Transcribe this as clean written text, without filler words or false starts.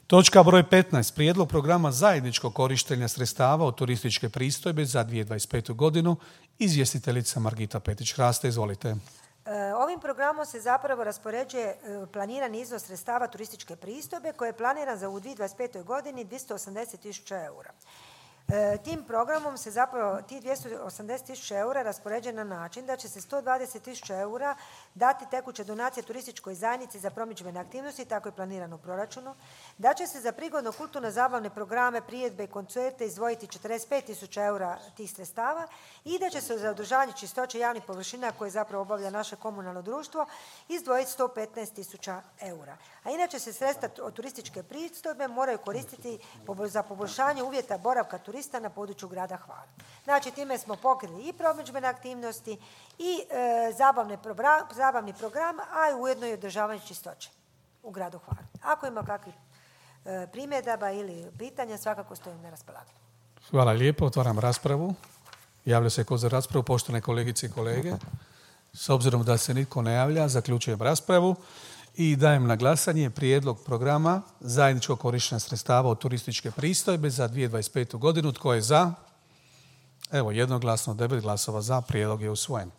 Točka broj 15. Prijedlog programa zajedničkog korištenja sredstava od turističke pristojbe za 2025. godinu. Izvjestiteljica Margita Petić-Hraste, izvolite. Ovim programom se zapravo raspoređuje planirani iznos sredstava turističke pristojbe koji je planiran za u 2025. godini 280.000 eura. Tim programom se zapravo tih 280.000 eura raspoređuje na način da će se 120.000 eura dati tekuće donacije turističkoj zajednici za promidžbene aktivnosti, tako je planirano u proračunu, da će se za prigodno kulturno zabavne programe, priredbe i koncerte izdvojiti 45.000 eura tih sredstava i da će se za održavanje čistoće javnih površina koje zapravo obavlja naše komunalno društvo izdvojiti 115.000 eura. A inače se sredstva od turističke pristojbe moraju koristiti za poboljšanje uvjeta boravka turista na području grada Hvara. Znači, time smo pokrili i promidžbene aktivnosti i zabavni program, a i ujedno i održavanje čistoće u gradu Hvaru. Ako ima kakvih primjedaba ili pitanja, svakako stojim na raspolaganju. Hvala lijepo, otvaram raspravu. Javlja se ko za raspravu, poštovane kolegice i kolege. S obzirom da se nitko ne javlja, zaključujem raspravu i dajem na glasanje prijedlog programa zajedničkog korištenja sredstava od turističke pristojbe za 2025. godinu. Tko je za? Evo, jednoglasno, 9 glasova za, prijedlog je usvojen.